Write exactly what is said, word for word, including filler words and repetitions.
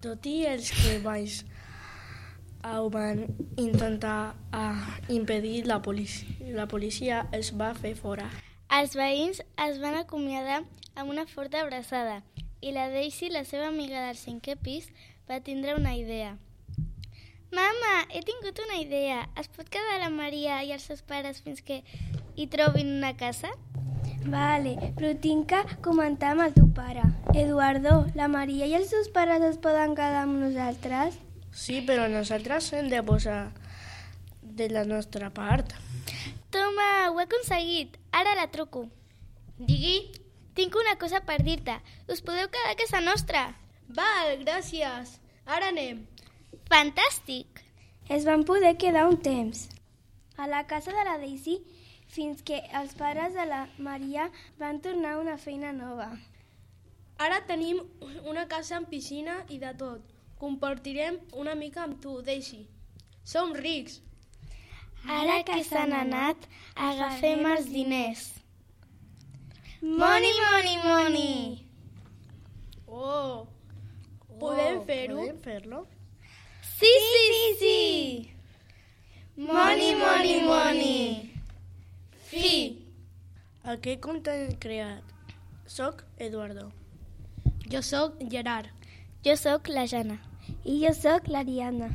Tot i els que baix ho van intentar uh, impedir, la policia, la policia els va fer fora. Els veïns es van acomiadar amb una forta abraçada i la Daisy, la seva amiga del cinquè pis, va tindre una idea. Mama, he tingut una idea. Es pot quedar la Maria i els seus pares fins que hi trobin una casa? Vale, però tinc que comentar amb el teu pare. Eduardo, la Maria i els seus pares es poden quedar amb nosaltres? Sí, però nosaltres hem de posar de la nostra part. Toma, ho he aconseguit. Ara la truco. Digui. Tinc una cosa per dir-te. Us podeu quedar a casa nostra? Val, gràcies. Ara anem. Fantàstic! Es van poder quedar un temps a la casa de la Daisy fins que els pares de la Maria van tornar a una feina nova. Ara tenim una casa amb piscina i de tot. Compartirem una mica amb tu, Daisy. Som rics. Ara que s'han anat, agafem els diners. Money, money, money! Oh, podem fer-ho? Podem fer-lo? Sí, sí, sí! Money, money, money! Fi! Aquest conte hem creat. Soc Eduardo. Jo sóc Gerard. Jo sóc la Jana. I jo sóc l'Ariadna.